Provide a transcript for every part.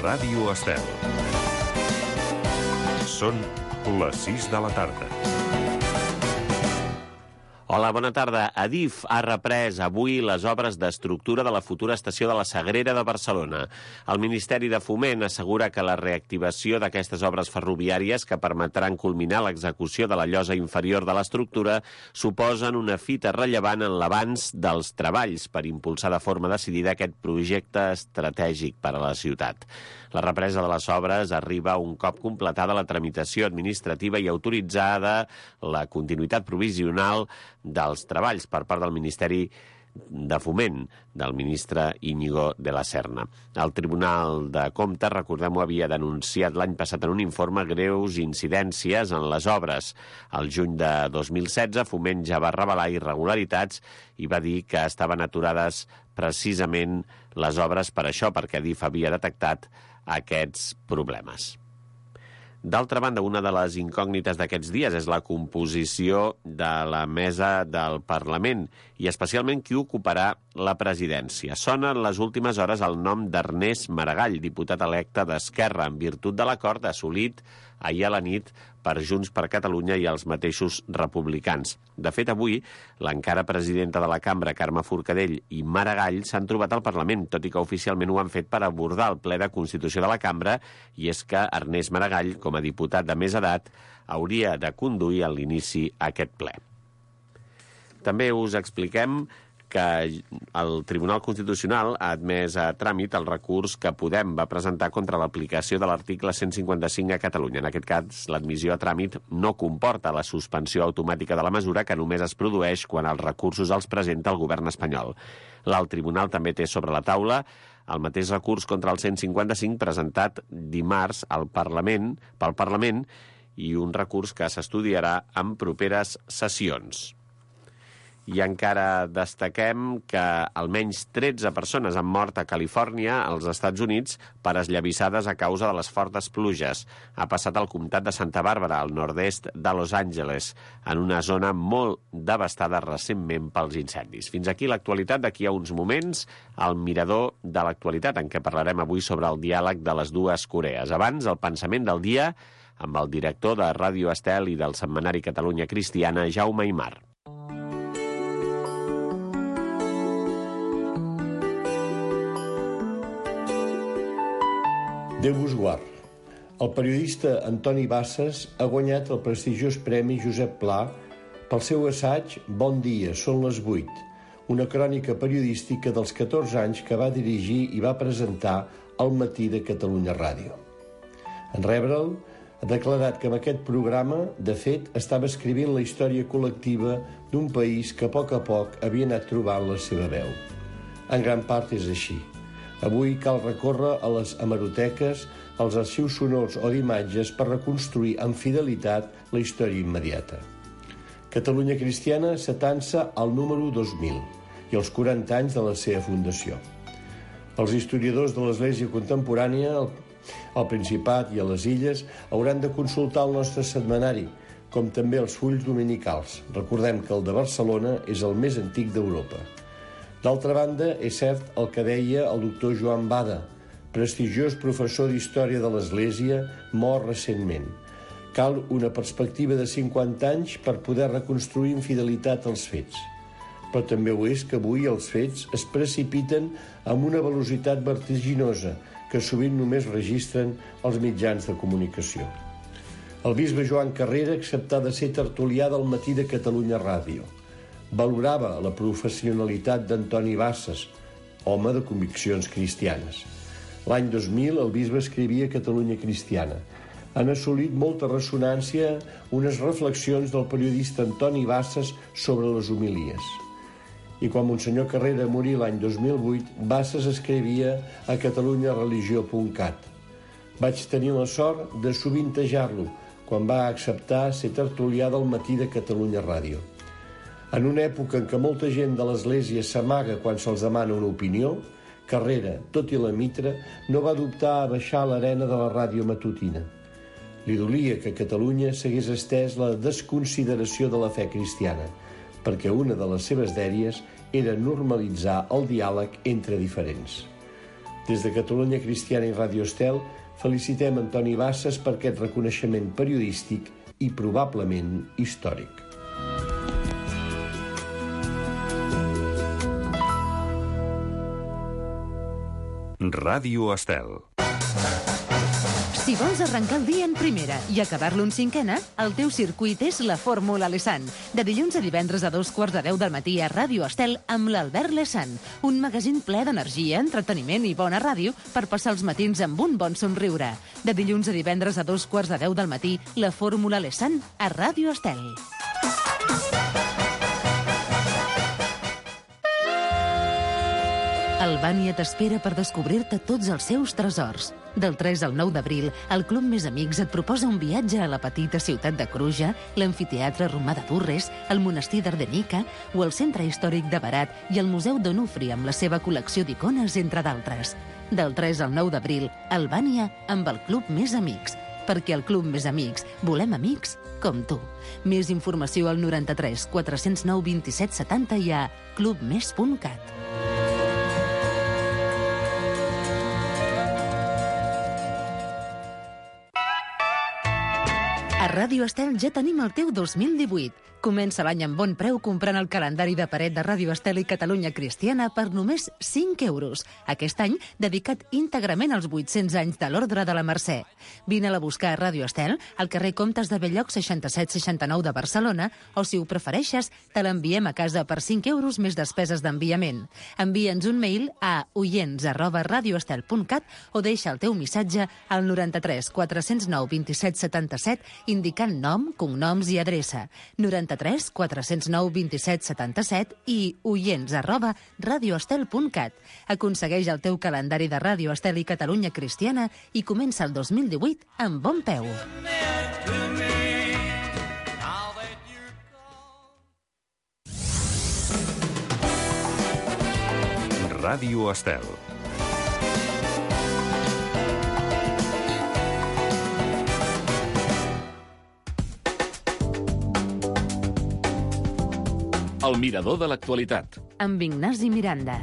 Ràdio Estel. Són les 6 de la tarda. Hola, bona tarda. Adif ha reprès avui les obres d'estructura de la futura estació de la Sagrera de Barcelona. El Ministeri de Foment assegura que la reactivació d'aquestes obres ferroviàries que permetran culminar l'execució de la llosa inferior de l'estructura suposen una fita rellevant en l'avanç dels treballs per impulsar de forma decidida aquest projecte estratègic per a la ciutat. La represa de les obres arriba un cop completada la tramitació administrativa i autoritzada la continuïtat provisional dels treballs per part del Ministeri de Foment, del ministre Íñigo de la Serna. El Tribunal de Comptes, recordem-ho, havia denunciat l'any passat en un informe greus incidències en les obres. Al juny de 2016, Foment ja va revelar irregularitats i va dir que estaven aturades precisament les obres per això, perquè Adif havia detectat aquests problemes. D'altra banda, una de les incògnites d'aquests dies és la composició de la mesa del Parlament i especialment qui ocuparà la presidència. Sona en les últimes hores el nom d'Ernest Maragall, diputat electe d'Esquerra, en virtut de l'acord assolit ahir a la nit per Junts per Catalunya i els mateixos republicans. De fet, avui, l'encara presidenta de la cambra, Carme Forcadell, i Maragall s'han trobat al Parlament, tot i que oficialment ho han fet per abordar el ple de Constitució de la cambra, i és que Ernest Maragall, com a diputat de més edat, hauria de conduir a l'inici aquest ple. També us expliquem que el Tribunal Constitucional ha admès a tràmit el recurs que Podem va presentar contra l'aplicació de l'article 155 a Catalunya. En aquest cas, l'admissió a tràmit no comporta la suspensió automàtica de la mesura, que només es produeix quan els recursos els presenta el govern espanyol. L'alt tribunal també té sobre la taula el mateix recurs contra el 155 presentat dimarts pel Parlament i un recurs que s'estudiarà en properes sessions. I encara destaquem que almenys 13 persones han mort a Califòrnia, als Estats Units, per esllavissades a causa de les fortes pluges. Ha passat al comtat de Santa Bàrbara, al nord-est de Los Angeles, en una zona molt devastada recentment pels incendis. Fins aquí l'actualitat. D'aquí a uns moments, el mirador de l'actualitat, en què parlarem avui sobre el diàleg de les dues Corees. Abans, el pensament del dia amb el director de Ràdio Estel i del setmanari Catalunya Cristiana, Jaume Aymar. Déu vos guard. El periodista Antoni Bassas ha guanyat el prestigiós Premi Josep Pla pel seu assaig Bon dia, són les 8, una crònica periodística dels 14 anys que va dirigir i va presentar al Matí de Catalunya Ràdio. En rebre'l, ha declarat que amb aquest programa, de fet, estava escrivint la història col·lectiva d'un país que a poc havia anat trobant la seva veu. En gran part és així. Avui cal recórrer a les hemeroteques, als arxius sonors o d'imatges per reconstruir amb fidelitat la història immediata. Catalunya Cristiana s'atansa al número 2000 i els 40 anys de la seva fundació. Els historiadors de l'Església contemporània, al Principat i a les Illes, hauran de consultar el nostre setmanari, com també els fulls dominicals. Recordem que el de Barcelona és el més antic d'Europa. D'altra banda, és cert el que deia el doctor Joan Bada, prestigiós professor d'Història de l'Església, mort recentment. Cal una perspectiva de 50 anys per poder reconstruir amb fidelitat els fets. Però també ho és que avui els fets es precipiten amb una velocitat vertiginosa que sovint només registren els mitjans de comunicació. El bisbe Joan Carrera acceptà de ser tertulià del Matí de Catalunya Ràdio. Valorava la professionalitat d'Antoni Bassas, home de conviccions cristianes. L'any 2000 el bisbe escrivia Catalunya Cristiana. Han assolit molta ressonància unes reflexions del periodista Antoni Bassas sobre les homilies. I quan Monsenyor Carrera morí l'any 2008, Bassas escrivia a catalunyareligió.cat. Vaig tenir la sort de sovintejar-lo quan va acceptar ser tertulià del Matí de Catalunya Ràdio. En una època en què molta gent de l'Església s'amaga quan se'ls demana una opinió, Carrera, tot i la mitra, no va dubtar a baixar a l'arena de la ràdio matutina. Li dolia que a Catalunya s'hagués estès la desconsideració de la fe cristiana, perquè una de les seves dèries era normalitzar el diàleg entre diferents. Des de Catalunya Cristiana i Ràdio Estel felicitem Antoni Basses per aquest reconeixement periodístic i probablement històric. Ràdio Estel. Si vols arrencar el dia en primera i acabar-lo en cinquena, el teu circuit és la Fórmula Lesan. De dilluns a divendres a 2:15 del matí a Ràdio Estel amb l'Albert Lesan. Un magazín ple d'energia, entreteniment i bona ràdio per passar els matins amb un bon somriure. De dilluns a divendres a 2:15 del matí, la Fórmula Lesan a Ràdio Estel. Albània t'espera per descobrir-te tots els seus tresors. Del 3 al 9 d'abril, el Club Més Amics et proposa un viatge a la petita ciutat de Cruja, l'amfiteatre romà de Durres, el monestir d'Ardenica o el centre històric de Berat i el Museu d'Onufri amb la seva col·lecció d'icones, entre d'altres. Del 3 al 9 d'abril, Albània amb el Club Més Amics. Perquè al Club Més Amics volem amics com tu. Més informació al 93 409 27 70 i a clubmes.cat. A Ràdio Estel ja tenim el teu 2018. Comença l'any amb bon preu comprant el calendari de paret de Ràdio Estel i Catalunya Cristiana per només 5 euros. Aquest any dedicat íntegrament als 800 anys de l'Ordre de la Mercè. Vine-la a buscar a Ràdio Estel, al carrer Comtes de Belloc 6769 de Barcelona, o si ho prefereixes, te l'enviem a casa per 5 euros més despeses d'enviament. Envia'ns un mail a oients@radioestel.cat o deixa el teu missatge al 93 409 27 77 indicant nom, cognoms i adreça. 93 409 27 77 i oients@radioestel.cat. Aconsegueix el teu calendari de Ràdio Estel i Catalunya Cristiana i comença el 2018 amb bon peu. Ràdio Estel. El mirador de l'actualitat. Amb Ignasi Miranda.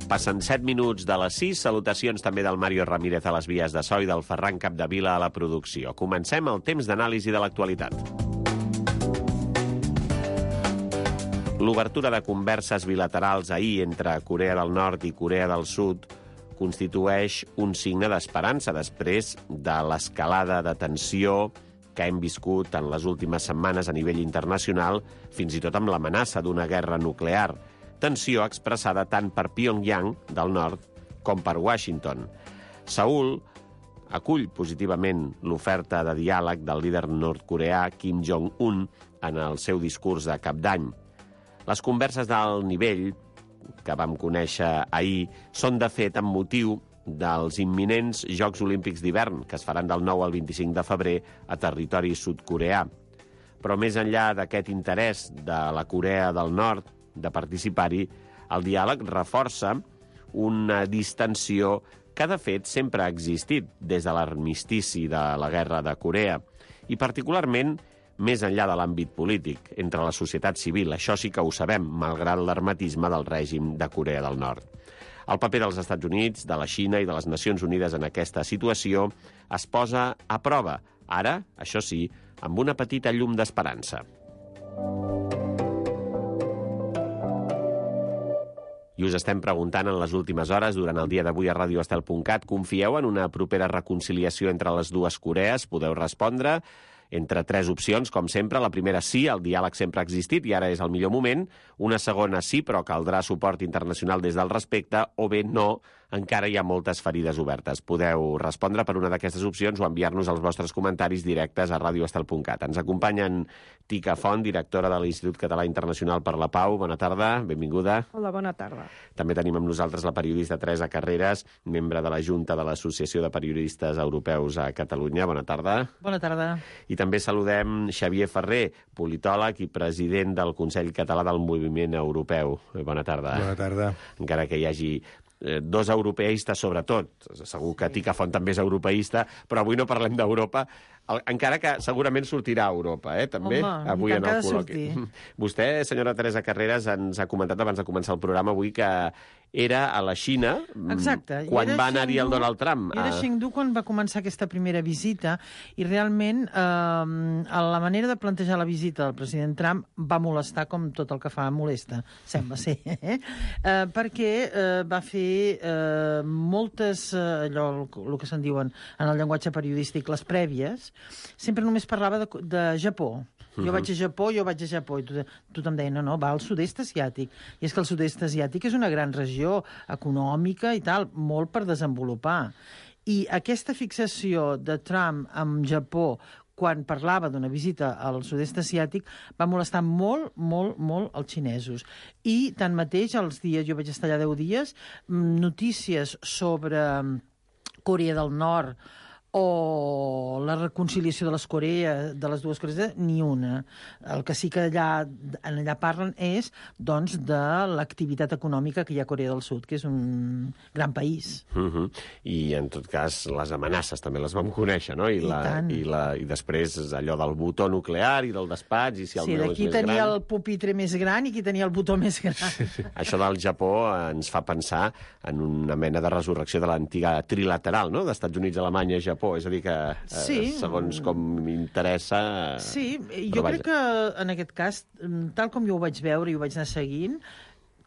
Passen 7 minuts de les 6. Salutacions també del Mario Ramírez a les vies de so i del Ferran Capdevila a la producció. Comencem el temps d'anàlisi de l'actualitat. L'obertura de converses bilaterals ahir entre Corea del Nord i Corea del Sud constitueix un signe d'esperança després de l'escalada de tensió que hem viscut en les últimes setmanes a nivell internacional, fins i tot amb l'amenaça d'una guerra nuclear. Tensió expressada tant per Pyongyang, del nord, com per Washington. Seül acull positivament l'oferta de diàleg del líder nord-coreà Kim Jong-un en el seu discurs de cap d'any. Les converses d'alt nivell que vam conèixer ahir són, de fet, amb motiu dels imminents Jocs Olímpics d'hivern, que es faran del 9 al 25 de febrer a territori sud-coreà. Però més enllà d'aquest interès de la Corea del Nord de participar-hi, el diàleg reforça una distensió que, de fet, sempre ha existit des de l'armistici de la Guerra de Corea, i particularment més enllà de l'àmbit polític, entre la societat civil. Això sí que ho sabem, malgrat l'hermetisme del règim de Corea del Nord. El paper dels Estats Units, de la Xina i de les Nacions Unides en aquesta situació es posa a prova, ara, això sí, amb una petita llum d'esperança. I us estem preguntant en les últimes hores, durant el dia d'avui a radioestel.cat, confieu en una propera reconciliació entre les dues Corees? Podeu respondre entre 3 opcions, com sempre. La primera, sí, el diàleg sempre ha existit i ara és el millor moment. Una segona, sí, però caldrà suport internacional des del respecte. O bé, no, encara hi ha moltes ferides obertes. Podeu respondre per una d'aquestes opcions o enviar-nos els vostres comentaris directes a radioestel.cat. Ens acompanyen Tica Font, directora de l'Institut Català Internacional per la Pau. Bona tarda, benvinguda. Hola, bona tarda. També tenim amb nosaltres la periodista Teresa Carreras, membre de la Junta de l'Associació de Periodistes Europeus a Catalunya. Bona tarda. Bona tarda. I també saludem Xavier Ferrer, politòleg i president del Consell Català del Moviment Europeu. Bona tarda. Bona tarda. Encara que hi hagi 2 europeistes, sobretot. Segur que Tica Font també és europeista, però avui no parlem d'Europa, encara que segurament sortirà a Europa, també, home, avui en el col·loqui. Vostè, senyora Teresa Carreras, ens ha comentat abans de començar el programa avui que era a la Xina, quan va anar-hi el Donald Trump. Era Chengdu quan va començar aquesta primera visita, i realment la manera de plantejar la visita del president Trump va molestar com tot el que fa molesta, sembla ser, perquè va fer moltes, allò, el que se'n diuen en el llenguatge periodístic, les prèvies, sempre només parlava de Japó. Jo vaig a Japó, i tothom deia, no, va al sud-est asiàtic. I és que el sud-est asiàtic és una gran regió econòmica i tal, molt per desenvolupar. I aquesta fixació de Trump amb Japó quan parlava d'una visita al sud-est asiàtic va molestar molt, molt, molt els xinesos. I tanmateix, els dies, jo vaig estar allà 10 dies, notícies sobre Corea del Nord o la reconciliació de les dues Corees, ni una. El que sí que allà parlen és, doncs, de l'activitat econòmica que hi ha a Corea del Sud, que és un gran país. I, en tot cas, les amenaces també les vam conèixer, no? I després allò del botó nuclear i del despatx, i si el meu és més gran... Sí, qui tenia el pupitre més gran i qui tenia el botó més gran. Això del Japó ens fa pensar en una mena de resurrecció de l'antiga trilateral, no?, d'Estats Units, Alemanya, Japó. És a dir, que segons com m'interessa... Sí, jo crec que en aquest cas, tal com jo ho vaig veure i ho vaig anar seguint,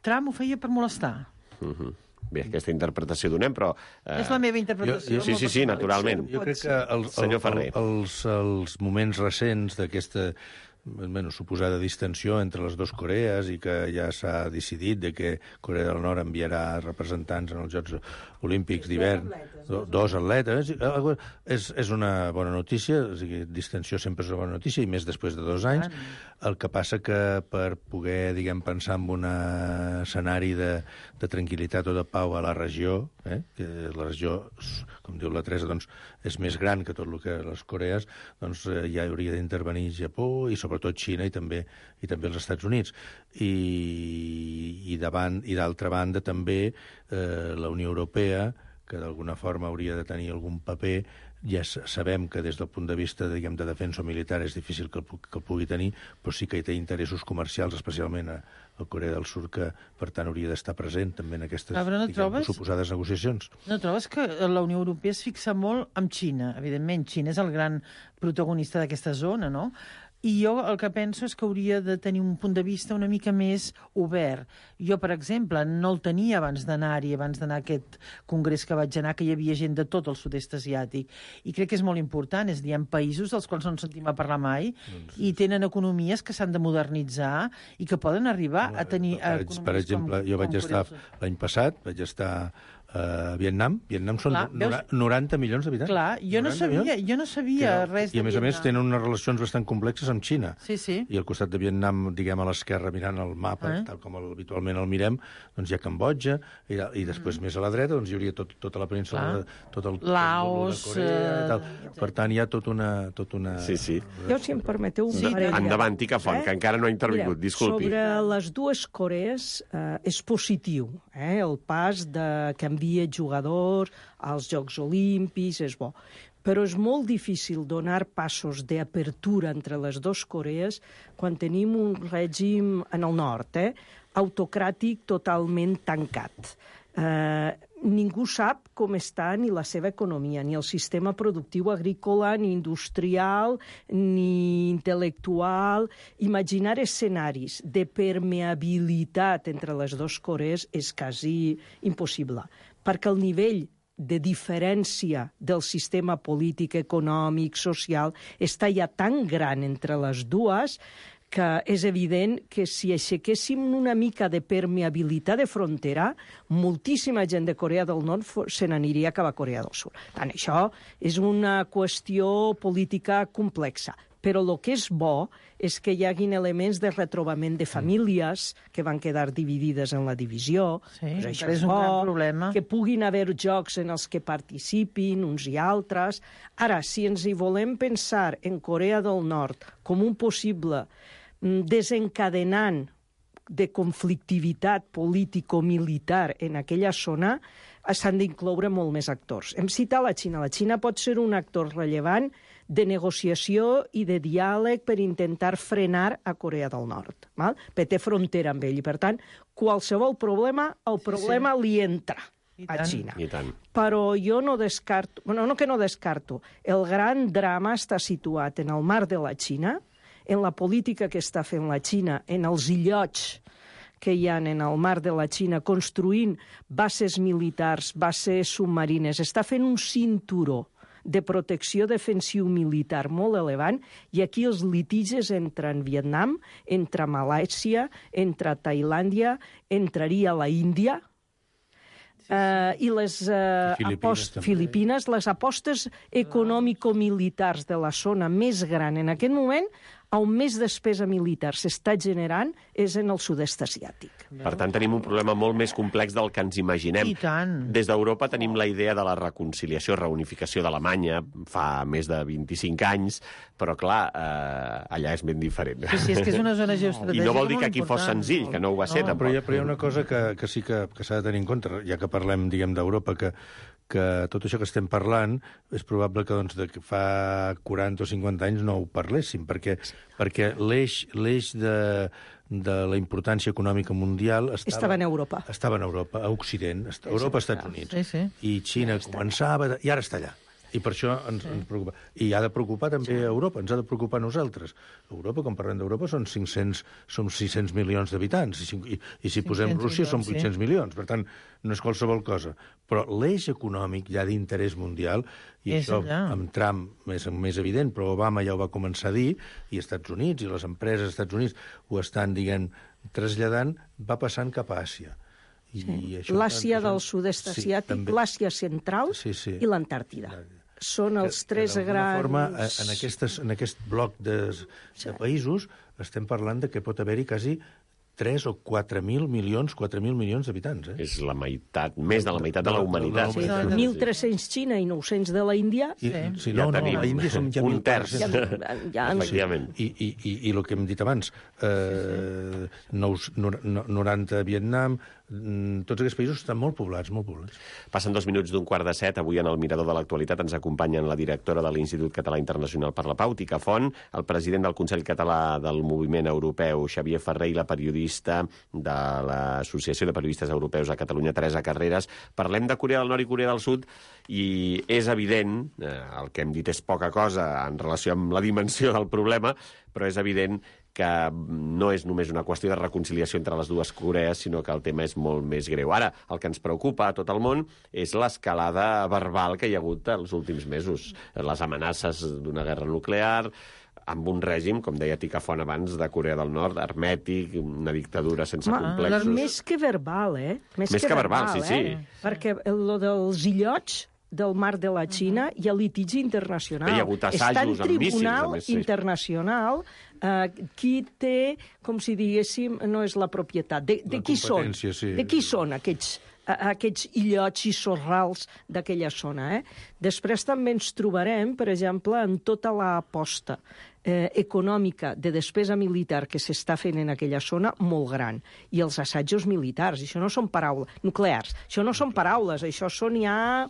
Trump ho feia per molestar. Bé, aquesta interpretació donem, però... És la meva interpretació. Sí, naturalment. Jo crec que els moments recents d'aquesta suposada distensió entre les dues Corees i que ja s'ha decidit de que Corea del Nord enviarà representants en els Jocs Olímpics d'hivern, dos atletes, és una bona notícia, o sigui, distensió sempre és una bona notícia, i més després de 2 anys. El que passa que per poder, pensar en un escenari de tranquil·litat o de pau a la regió, que la regió, com diu la Teresa, doncs, és més gran que tot el que les Corees, doncs ja hauria d'intervenir Japó i sobretot Xina i també els Estats Units. I d'altra banda també la Unió Europea, que d'alguna forma hauria de tenir algun paper. Ja sabem que des del punt de vista de defensa militar és difícil que el pugui tenir, però sí que hi té interessos comercials, especialment a Corea del Sud, que per tant hauria d'estar present també en aquestes suposades negociacions. No trobes que la Unió Europea es fixa molt amb Xina? Evidentment, Xina és el gran protagonista d'aquesta zona, no? I jo el que penso és que hauria de tenir un punt de vista una mica més obert. Jo, per exemple, no el tenia abans d'anar-hi, abans d'anar a aquest congrés que vaig anar, que hi havia gent de tot el sud-est asiàtic. I crec que és molt important, és a dir, hi ha països dels quals no ens sentim a parlar mai i tenen economies que s'han de modernitzar i que poden arribar a tenir economies per exemple, jo vaig estar l'any passat, vaig estar a Vietnam. Vietnam són 90 milions d'habitants. Clar, jo no sabia res de Vietnam. I a més tenen unes relacions bastant complexes amb Xina. Sí. I al costat de Vietnam, a l'esquerra, mirant el mapa, tal com habitualment el mirem, doncs hi ha Cambodja, i després més a la dreta doncs hi hauria tota la península, tot el Laos, de Corea i tal. Per tant, hi ha tot una... Sí. Jo, si em permeteu, un parell... Endavant, Ticafont, que encara no ha intervingut, disculpi. Sobre les dues Corees és positiu, el pas que envia jugadors als Jocs Olímpics, és bo. Però és molt difícil donar passos d'apertura entre les dues Corees quan tenim un règim en el nord, autocràtic totalment tancat. Ningú sap com està ni la seva economia, ni el sistema productiu agrícola, ni industrial, ni intel·lectual. Imaginar escenaris de permeabilitat entre les dues Corees és quasi impossible, perquè el nivell de diferència del sistema polític, econòmic, social, està ja tan gran entre les dues que és evident que si aixequéssim una mica de permeabilitat de frontera, moltíssima gent de Corea del Nord se n'aniria cap a Corea del Sud. Tant això és una qüestió política complexa. Però el que és bo és que hi haguin elements de retrobament de famílies que van quedar dividides en la divisió. Sí, això és un gran problema. Que puguin haver jocs en els que participin uns i altres. Ara, si ens hi volem pensar en Corea del Nord com un possible desencadenant de conflictivitat político-militar en aquella zona, s'han d'incloure molt més actors. Hem citat la Xina. La Xina pot ser un actor rellevant de negociació i de diàleg per intentar frenar a Corea del Nord, perquè té frontera amb ell. I, per tant, qualsevol problema, el problema li entra a Xina. I tant. Però jo no descarto, no que no descarto, el gran drama està situat en el mar de la Xina, en la política que està fent la Xina, en els illots que hi ha en el mar de la Xina, construint bases militars, bases submarines. Està fent un cinturó de protecció defensiu militar molt elevant, i aquí els litigis entren Vietnam, entre Malàisia, entre Tailàndia, entraria la Índia, i les Filipines, les apostes econòmico-militars de la zona més gran en aquest moment, on més despesa militar s'està generant és en el sud-est asiàtic. Per tant, tenim un problema molt més complex del que ens imaginem. I tant. Des d'Europa tenim la idea de la reconciliació, reunificació d'Alemanya fa més de 25 anys, però, clar, allà és ben diferent. Sí, és que és una zona geoestratègica. I no vol dir que aquí fos senzill, que no ho va ser, tampoc. Però hi ha una cosa que sí que s'ha de tenir en compte, ja que parlem, diguem, d'Europa, que tot això que estem parlant és probable que, doncs, de fa 40 o 50 anys no ho parléssim, perquè l'eix de la importància econòmica mundial estava en Europa. Estava en Europa, a Occident, Europa, Estats Units. Sí. I Xina començava, i ara està allà. I per això ens preocupa. I ha de preocupar també a Europa, ens ha de preocupar a nosaltres. Europa, quan parlem d'Europa, són 600 milions d'habitants, i si posem Rússia són 800 milions. Per tant, no és qualsevol cosa. Però l'eix econòmic ja d'interès mundial, i això amb Trump més evident, però Obama ja ho va començar a dir, i Estats Units, i les empreses dels Estats Units ho estan, diguem, traslladant, va passant cap a Àsia. L'Àsia del sud-est asiàtic, l'Àsia central i l'Antàrtida. Són els tres grans... forma, en aquest bloc de països estem parlant de que pot haver-hi quasi 3 o 4.000 milions d'habitants. És la meitat, més de la meitat de la humanitat. 1.300 Xina i 900 de la Índia. Ja tenim un terç. Efectivament. I el que hem dit abans, 90 a Vietnam, tots aquests països estan molt poblats, molt poblats. Passen 2 minuts d'un 6:45. Avui en el Mirador de l'Actualitat ens acompanyen la directora de l'Institut Català Internacional per la Pau, Tica Font, el president del Consell Català del Moviment Europeu, Xavier Ferrer, i la periodista de l'Associació de Periodistes Europeus a Catalunya, Teresa Carreras. Parlem de Corea del Nord i Corea del Sud, i és evident, el que hem dit és poca cosa en relació amb la dimensió del problema, però és evident que no és només una qüestió de reconciliació entre les dues Corees, sinó que el tema és molt més greu. Ara, el que ens preocupa a tot el món és l'escalada verbal que hi ha hagut els últims mesos. Les amenaces d'una guerra nuclear, amb un règim, com deia Tica Font abans, de Corea del Nord, hermètic, una dictadura sense complexos. Més que verbal, Més que verbal, sí. Perquè el dels illots del mar de la Xina hi ha litigi internacional. Hi ha hagut assajos amb míssils. Està en tribunal internacional qui té, com si diguéssim, no és la propietat. De qui són? De qui són aquests illots i sorrals d'aquella zona? Després també ens trobarem, per exemple, en tota l'aposta econòmica de despesa militar que s'està fent en aquella zona molt gran. I els assajos militars, això no són paraules nuclears, això no són paraules, això són ja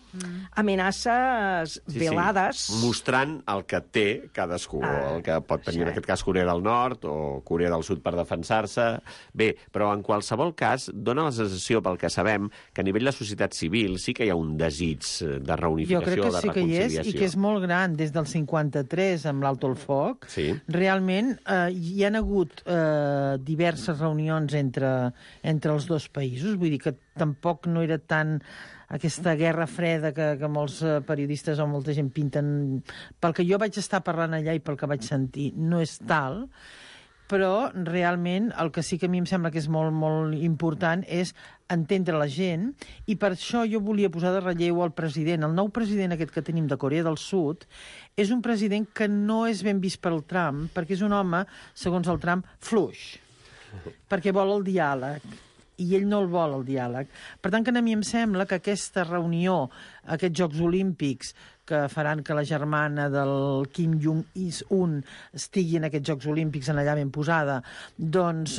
amenaces velades. Mostrant el que té cadascú, el que pot tenir en aquest cas Corea del Nord o Corea del Sud per defensar-se. Bé, però en qualsevol cas dona la sensació, pel que sabem, que a nivell de societat civil sí que hi ha un desig de reunificació, de reconciliació. Jo crec que sí que hi és, i que és molt gran. Des del 53, amb l'Alto el Foc, realment hi ha hagut diverses reunions entre els dos països. Vull dir que tampoc no era tant aquesta guerra freda que molts periodistes o molta gent pinten. Pel que jo vaig estar parlant allà i pel que vaig sentir, no és tal, però realment el que sí que a mi em sembla que és molt, molt important és entendre la gent, i per això jo volia posar de relleu el president. El nou president aquest que tenim de Corea del Sud és un president que no és ben vist per el Trump, perquè és un home, segons el Trump, fluix, perquè vol el diàleg, i ell no el vol, el diàleg. Per tant, que a mi em sembla que aquesta reunió, aquests Jocs Olímpics, que faran que la germana del Kim Jong-un estigui en aquests Jocs Olímpics en allà ben posada, doncs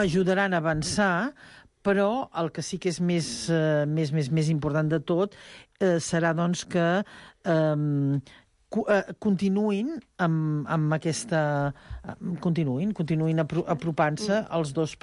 ajudaran a avançar, però el que sí que és més important de tot serà doncs que continuïn amb aquesta... Continuïn apropant-se als dos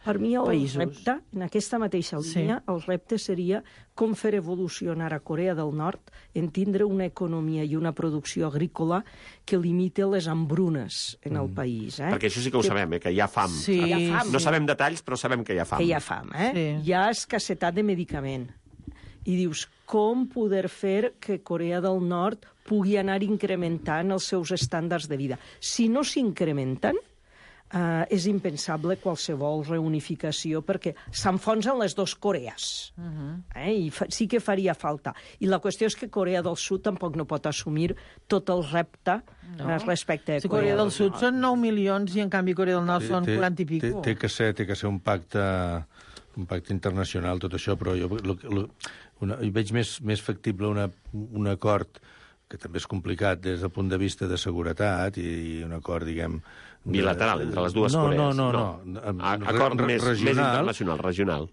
Per mi el països. repte, en aquesta mateixa línia, el repte seria com fer evolucionar a Corea del Nord en tindre una economia i una producció agrícola que limite les hambrunes en el país. Perquè això sí que ho sabem, que hi ha fam. Sí, Hi ha fam. No sabem detalls, però sabem que hi ha fam. Que hi ha fam, Sí. Hi ha escassetat de medicament. I dius, com poder fer que Corea del Nord pugui anar incrementant els seus estàndards de vida? Si no s'incrementen, és impensable qualsevol reunificació perquè s'enfonsen les dues Corees. I sí que faria falta. I la qüestió és que Corea del Sud tampoc no pot assumir tot el repte respecte a Corea del Sud són 9 milions i en canvi Corea del Nord són 40 i pico. Té que ser un pacte internacional, tot això, però jo veig més factible un acord que també és complicat des del punt de vista de seguretat i un acord, diguem... Bilateral, entre les dues Corees. No. Acord més internacional, regional.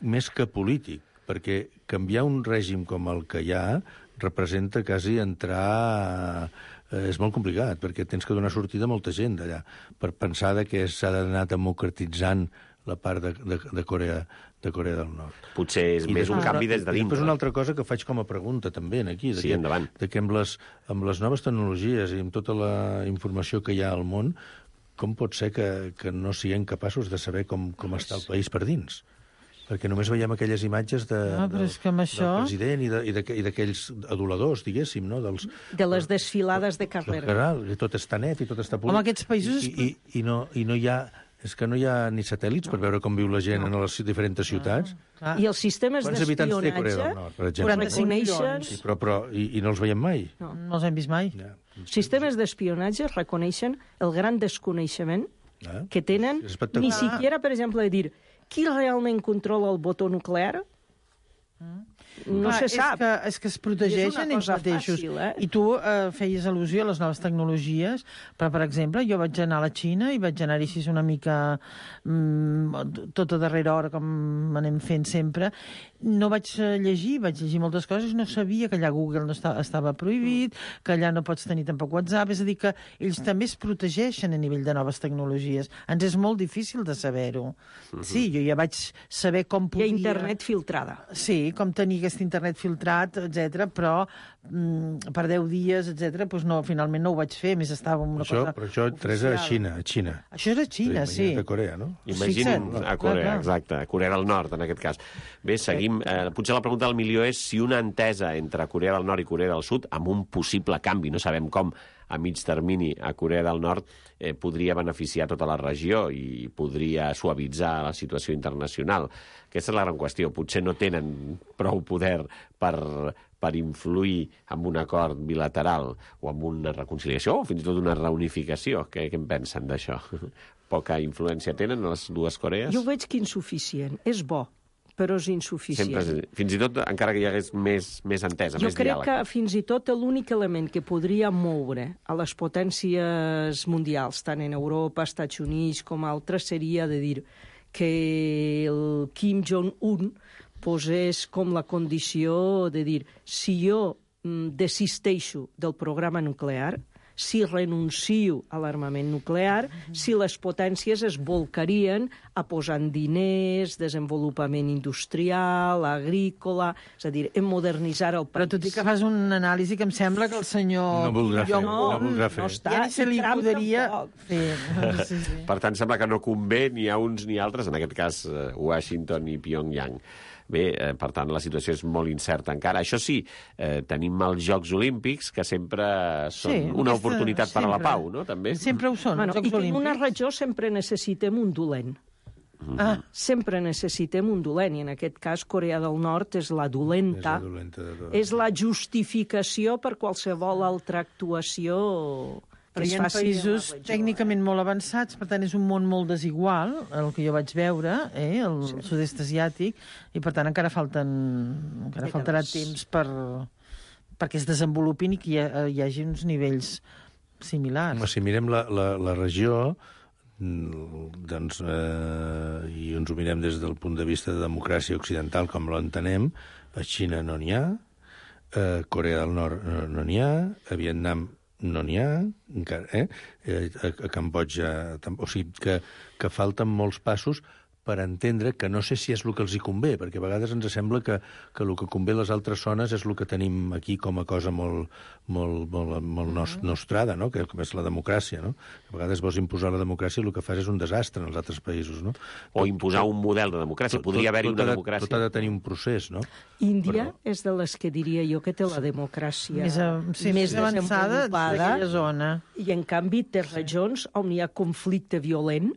Més que polític, perquè canviar un règim com el que hi ha representa quasi entrar... És molt complicat, perquè tens que donar sortida a molta gent d'allà, per pensar que s'ha d'anar democratitzant la part de Corea del Nord. Potser és més un canvi des de dintre. Després una altra cosa que faig com a pregunta també aquí, Sí, endavant. que amb les noves tecnologies i amb tota la informació que hi ha al món, com pot ser que no siguem capaços de saber com està el país per dins? Perquè només veiem aquelles imatges del president i d'aquells aduladors, diguéssim, no? De les desfilades de carrera. Tot està net i tot està polit. Home, aquests països... I no hi ha... És que no hi ha ni satèl·lits per veure com viu la gent en les diferents ciutats. I els sistemes d'espionatge... Quants habitants té Corea del Nord, per exemple? 45 milions. I no els veiem mai? No els hem vist mai. Ja. Sistemes d'espionatge reconeixen el gran desconeixement que tenen, És espectacular. ni siquiera, per exemple, de dir qui realment controla el botó nuclear, no se sap. És que es protegeixen ells mateixos. Fàcil, I tu feies al·lusió a les noves tecnologies, però, per exemple, jo vaig anar a la Xina i vaig anar-hi així una mica tot a darrera hora, com anem fent sempre. No vaig llegir moltes coses, no sabia que allà Google no estava prohibit, que allà no pots tenir tampoc WhatsApp, és a dir, que ells també es protegeixen a nivell de noves tecnologies. Ens és molt difícil de saber-ho. Sí, jo ja vaig saber com Hi podia... ha internet filtrada. Sí, com tenir aquest internet filtrat, etc. Però per 10 dies, etc. Doncs no, finalment no ho vaig fer, més estava una cosa Però això, Teresa, a Xina. Això és a Xina, sí. De Corea, no? Imaginin Fixa't. a Corea, Clar. exacte, a Corea del Nord, en aquest cas. Bé, seguim. Potser la pregunta del milió és si una entesa entre Corea del Nord i Corea del Sud, amb un possible canvi, no sabem com, a mig termini a Corea del Nord, podria beneficiar tota la regió i podria suavitzar la situació internacional. Aquesta és la gran qüestió. Potser no tenen prou poder per influir en un acord bilateral o en una reconciliació o fins i tot una reunificació. Què en pensen d'això? Poca influència tenen les dues Corees? Jo ho veig que insuficient. És bo, però és insuficient. Fins i tot, encara que hi hagués més entesa, Jo més crec diàleg. que fins i tot l'únic element que podria moure a les potències mundials, tant en Europa, Estats Units com altres, seria de dir que el Kim Jong-un posés com la condició de dir si jo desisteixo del programa nuclear, si renuncio a l'armament nuclear, si les potències es volcarien a posar diners, desenvolupament industrial, agrícola, és a dir, en modernitzar el país. Però tot i que fas una anàlisi que em sembla que el senyor... No voldrà fer. No està. Ja ni se li Trump podria tampoc. fer. Sí. Per tant, sembla que no convé ni a uns ni a altres, en aquest cas Washington i Pyongyang. Bé, per tant, la situació és molt incerta encara. Això sí, tenim els Jocs Olímpics, que sempre són una oportunitat per a la pau, no? També. Sempre ho són, els I Jocs que en Olímpics. una regió sempre necessitem un dolent. Sempre necessitem un dolent, i en aquest cas Corea del Nord és la dolenta. És la dolenta de tot. És la justificació per qualsevol altra actuació que Però es hi ha faci països en la regió. tècnicament molt avançats, per tant és un món molt desigual, el que jo vaig veure, el sud-est asiàtic, i per tant encara faltarà temps perquè es desenvolupin i que hi hagi uns nivells similars. Si mirem la regió, doncs, i ens ho mirem des del punt de vista de democràcia occidental, com l'entenem, a Xina no n'hi ha, Corea del Nord no n'hi ha, a Vietnam no n'hi ha, encara, a Cambodja... O sigui, que falten molts passos per entendre que no sé si és el que els hi convé, perquè a vegades ens sembla que el que convé a les altres zones és el que tenim aquí com a cosa molt nostrada, no? Que és la democràcia, no? A vegades vols imposar la democràcia i el que fas és un desastre en els altres països, no? O imposar un model de democràcia. Podria haver-hi una democràcia. Tot ha de tenir un procés, no? Índia és de les que diria jo que té la democràcia més avançada d'aquella zona. I, en canvi, té regions on hi ha conflicte violent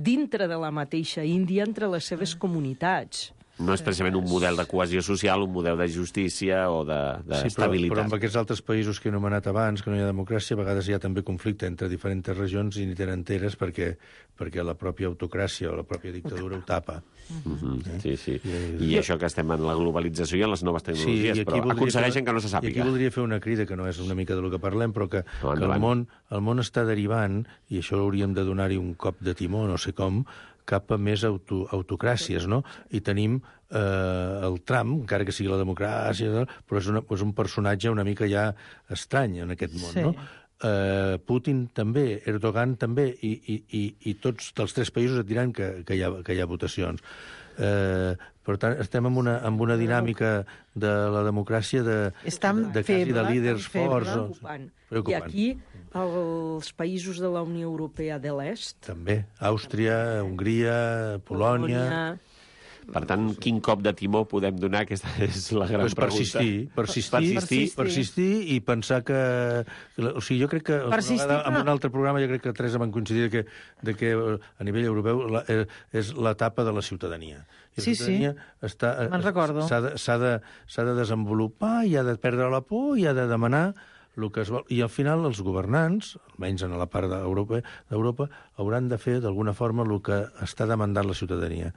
dintre de la mateixa Índia entre les seves comunitats. No és precisament un model de cohesió social, un model de justícia o d'estabilitat. Però amb aquests altres països que he anomenat abans, que no hi ha democràcia, a vegades hi ha també conflicte entre diferents regions i ni tenen enteres perquè la pròpia autocràcia o la pròpia dictadura ho tapa. Sí. I això que estem en la globalització i en les noves tecnologies, però aconsegueixen que no se sàpiga. I aquí voldria fer una crida, que no és una mica del que parlem, però que el món està derivant, i això hauríem de donar-hi un cop de timó, no sé com, cap a més autocràcies, no? I tenim el Trump, encara que sigui la democràcia, però és un personatge una mica ja estrany en aquest món, no? Putin també, Erdogan també, i tots els tres països et diran que hi ha votacions. Per tant, estem en una dinàmica de la democràcia de quasi de líders forts. I aquí, els països de la Unió Europea de l'Est... També. Àustria, Hongria, Polònia... Per tant, quin cop de timó podem donar? Aquesta és la gran pregunta. Persistir i pensar que... O sigui, jo crec que en un altre programa jo crec que Teresa van coincidir que a nivell europeu és l'etapa de la ciutadania. I la ciutadania me'n recordo. S'ha de desenvolupar i ha de perdre la por i ha de demanar el que es vol. I al final els governants, almenys en la part d'Europa, hauran de fer d'alguna forma el que està demandant la ciutadania.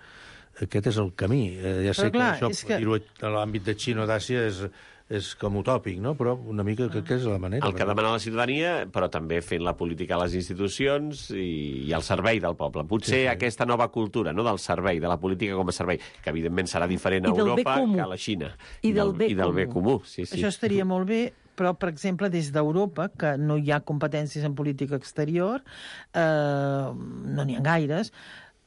Aquest és el camí. Ja sé que això, dir-ho a l'àmbit de Xina o d'Àsia, és com utòpic, no? Però una mica que és la manera. El que demana la ciutadania, però també fent la política a les institucions i al servei del poble. Potser aquesta nova cultura, no, del servei, de la política com a servei, que evidentment serà diferent a Europa que a la Xina. I del bé comú. Sí. Això estaria molt bé, però, per exemple, des d'Europa, que no hi ha competències en política exterior, no n'hi ha gaires,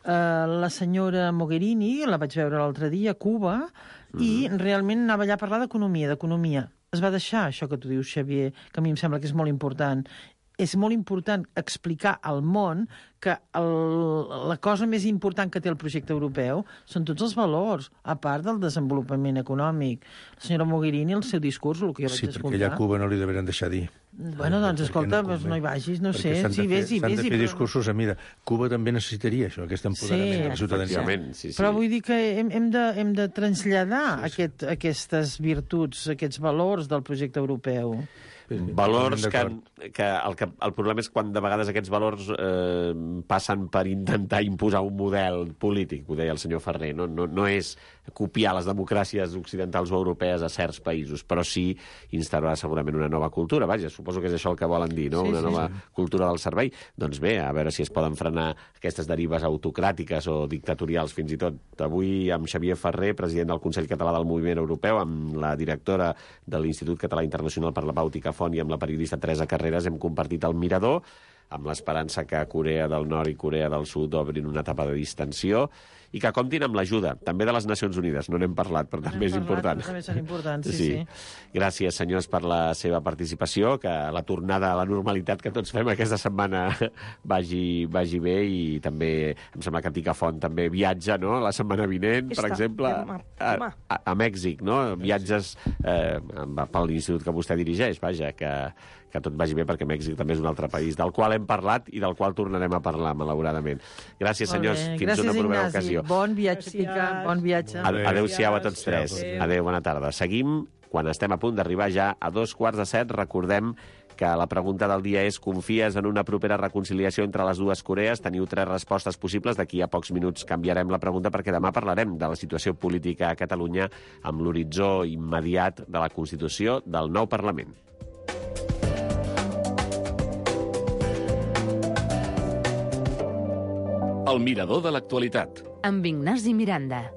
la senyora Mogherini, la vaig veure l'altre dia a Cuba, i realment anava allà a parlar d'economia. Es va deixar això que tu dius, Xavier, que a mi em sembla que és molt important. És molt important explicar al món que la cosa més important que té el projecte europeu són tots els valors, a part del desenvolupament econòmic. La senyora Mogherini, el seu discurs, el que jo vaig escoltar... Sí, perquè allà a Cuba no li deurien deixar dir. Bueno, doncs, escolta, no hi vagis, no sé. S'han de fer discursos a mida. Cuba també necessitaria això, aquest empoderament de la ciutadania. Però vull dir que hem de traslladar aquestes virtuts, aquests valors del projecte europeu. Valors que el problema és quan de vegades aquests valors passen per intentar imposar un model polític, ho deia el senyor Ferrer, no és copiar les democràcies occidentals o europees a certs països, però sí instaurar segurament una nova cultura. Vaja, suposo que és això el que volen dir, no? Una nova cultura del servei. Doncs bé, a veure si es poden frenar aquestes derives autocràtiques o dictatorials fins i tot. Avui amb Xavier Ferrer, president del Consell Català del Moviment Europeu, amb la directora de l'Institut Català Internacional per la Pau Ticafont i amb la periodista Teresa Carreras hem compartit el Mirador, amb l'esperança que Corea del Nord i Corea del Sud obrin una etapa de distensió i que comptin amb l'ajuda, també de les Nacions Unides. No n'hem parlat, però també és important. També són importants, sí. Gràcies, senyors, per la seva participació, que la tornada a la normalitat que tots fem aquesta setmana vagi bé, i també em sembla que Ticafont també viatja, no?, la setmana vinent, per exemple, a Mèxic, no? Viatges per l'institut que vostè dirigeix, vaja, que tot vagi bé, perquè Mèxic també és un altre país del qual hem parlat i del qual tornarem a parlar, malauradament. Gràcies, senyors. Fins una propera ocasió. Bon viatge, bon viatge. Adéu-siau a tots tres. Adéu, bona tarda. Seguim quan estem a punt d'arribar ja a 2:45. Recordem que la pregunta del dia és: confies en una propera reconciliació entre les dues Corees? Teniu 3 respostes possibles. D'aquí a pocs minuts canviarem la pregunta, perquè demà parlarem de la situació política a Catalunya amb l'horitzó immediat de la Constitució del nou Parlament. El Mirador de l'actualitat. Amb Ignasi Miranda.